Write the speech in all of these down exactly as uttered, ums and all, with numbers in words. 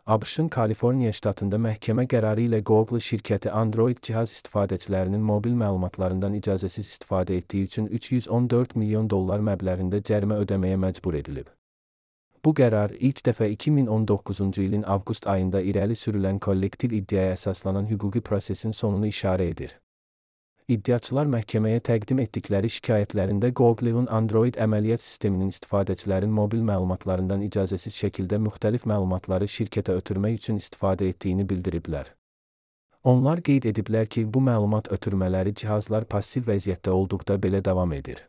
ABŞ-ın Kaliforniya ştatında məhkəmə qərarı ilə Google şirkəti Android cihaz istifadəçilərinin mobil məlumatlarından icazəsiz istifadə etdiyi üçün üç yüz on dörd milyon dollar məbləğində cərimə ödəməyə məcbur edilib. Bu qərar ilk dəfə iki min on doqquzuncu ilin avqust ayında irəli sürülən kollektiv iddiaya əsaslanan hüquqi prosesin sonunu işarə edir. İddiaçılar məhkəməyə təqdim etdikləri şikayətlərində Google'un Android əməliyyat sisteminin istifadəçilərin mobil məlumatlarından icazəsiz şəkildə müxtəlif məlumatları şirkətə ötürmək üçün istifadə etdiyini bildiriblər. Onlar qeyd ediblər ki, bu məlumat ötürmələri cihazlar passiv vəziyyətdə olduqda belə davam edir.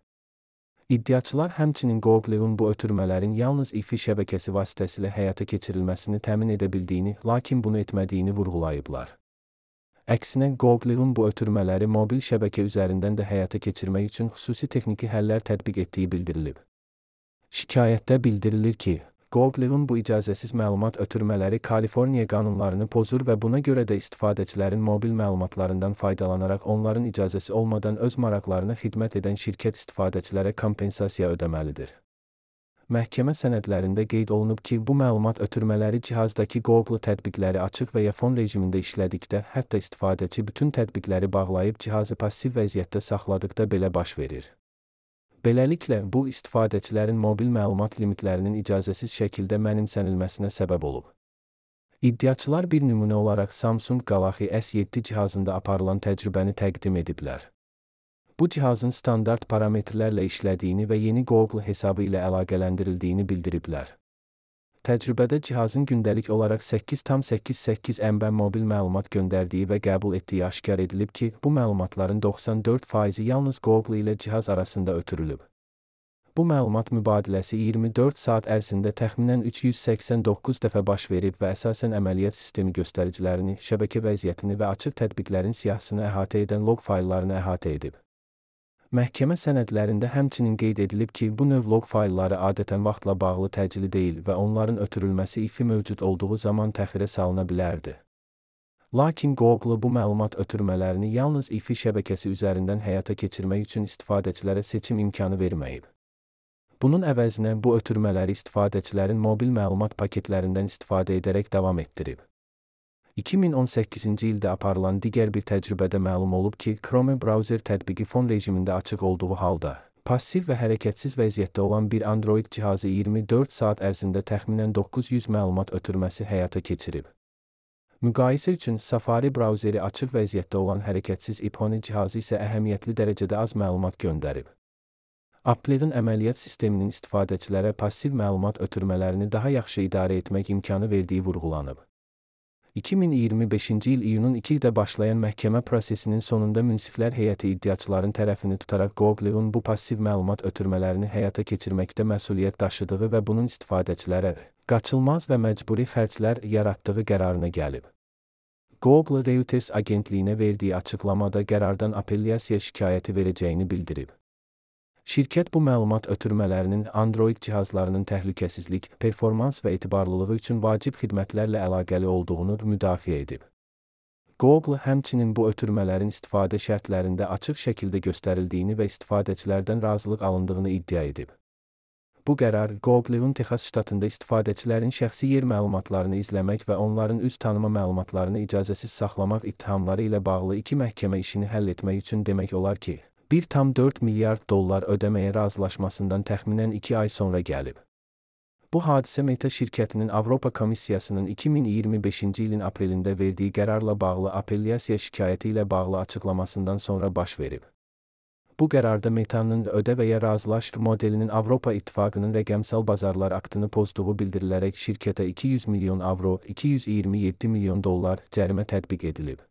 İddiaçılar həmçinin Google'un bu ötürmələrin yalnız Wi-Fi şəbəkəsi vasitəsilə həyata keçirilməsini təmin edə bildiyini, lakin bunu etmədiyini vurğulayıblar. Əksinə, Google'un bu ötürmələri mobil şəbəkə üzərindən də həyata keçirmək üçün xüsusi texniki həllər tətbiq etdiyi bildirilib. Şikayətdə bildirilir ki, Google'un bu icazəsiz məlumat ötürmələri Kaliforniya qanunlarını pozur və buna görə də istifadəçilərin mobil məlumatlarından faydalanaraq onların icazəsi olmadan öz maraqlarına xidmət edən şirkət istifadəçilərə kompensasiya ödəməlidir. Məhkəmə sənədlərində qeyd olunub ki, bu məlumat ötürmələri cihazdakı Google tətbiqləri açıq və ya fon rejimində işlədikdə, hətta istifadəçi bütün tətbiqləri bağlayıb cihazı passiv vəziyyətdə saxladıqda belə baş verir. Beləliklə, bu istifadəçilərin mobil məlumat limitlərinin icazəsiz şəkildə mənimsənilməsinə səbəb olub. İddiaçılar bir nümunə olaraq Samsung Galaxy S yeddi cihazında aparılan təcrübəni təqdim ediblər. Bu cihazın standart parametrlərlə işlədiyini və yeni Google hesabı ilə əlaqələndirildiyini bildiriblər. Təcrübədə cihazın gündəlik olaraq səkkiz tam səkkiz səkkiz M B mobil məlumat göndərdiyi və qəbul etdiyi aşkar edilib ki, bu məlumatların doxsan dörd faizi yalnız Google ilə cihaz arasında ötürülüb. Bu məlumat mübadiləsi iyirmi dörd saat ərzində təxminən üç yüz səksən doqquz dəfə baş verib və əsasən əməliyyat sistemi göstəricilərini, şəbəkə vəziyyətini və açıq tətbiqlərin siyahısını əhatə edən log fayllarını əhatə edib. Məhkəmə sənədlərində həmçinin qeyd edilib ki, bu növ log faylları adətən vaxtla bağlı təcili deyil və onların ötürülməsi Wi-Fi mövcud olduğu zaman təxirə salına bilərdi. Lakin Google bu məlumat ötürmələrini yalnız Wi-Fi şəbəkəsi üzərindən həyata keçirmək üçün istifadəçilərə seçim imkanı verməyib. Bunun əvəzinə bu ötürmələri istifadəçilərin mobil məlumat paketlərindən istifadə edərək davam etdirib. iki min on səkkizinci ildə aparılan digər bir təcrübədə məlum olub ki, Chrome browser tətbiqi fon rejimində açıq olduğu halda, passiv və hərəkətsiz vəziyyətdə olan bir Android cihazı iyirmi dörd saat ərzində təxminən doqquz yüz məlumat ötürməsi həyata keçirib. Müqayisə üçün Safari brauzeri açıq vəziyyətdə olan hərəkətsiz iPhone cihazı isə əhəmiyyətli dərəcədə az məlumat göndərib. Apple'ın əməliyyat sisteminin istifadəçilərə passiv məlumat ötürmələrini daha yaxşı idarə etmək imkanı verdiyi vurğulanıb. iki min iyirmi beşinci il iyunun ikidə başlayan məhkəmə prosesinin sonunda münsiflər heyəti iddiaçıların tərəfini tutaraq Google'un bu passiv məlumat ötürmələrini həyata keçirməkdə məsuliyyət daşıdığı və bunun istifadəçilərə qaçılmaz və məcburi xərclər yaratdığı qərarına gəlib. Google Reuters agentliyinə verdiyi açıqlamada qərardan apellyasiya şikayəti verəcəyini bildirib. Şirkət bu məlumat ötürmələrinin Android cihazlarının təhlükəsizlik, performans və etibarlılığı üçün vacib xidmətlərlə əlaqəli olduğunu müdafiə edib. Google həmçinin bu ötürmələrin istifadə şərtlərində açıq şəkildə göstərildiyini və istifadəçilərdən razılıq alındığını iddia edib. Bu qərar Google'un Texas ştatında istifadəçilərin şəxsi yer məlumatlarını izləmək və onların üz tanıma məlumatlarını icazəsiz saxlamaq ittihamları ilə bağlı iki məhkəmə işini həll etmək üçün demək olar ki, bir tam dörd milyard dollar ödəməyə razılaşmasından təxminən iki ay sonra gəlib. Bu hadisə Meta şirkətinin Avropa Komissiyasının iki min iyirmi beşinci ilin aprelində verdiyi qərarla bağlı apellyasiya şikayəti ilə bağlı açıqlamasından sonra baş verib. Bu qərarda Meta'nın ödə və ya razılaş modelinin Avropa İttifaqının rəqəmsal bazarlar aktını pozduğu bildirilərək şirkətə iki yüz milyon avro, iki yüz iyirmi yeddi milyon dollar cərimə tətbiq edilib.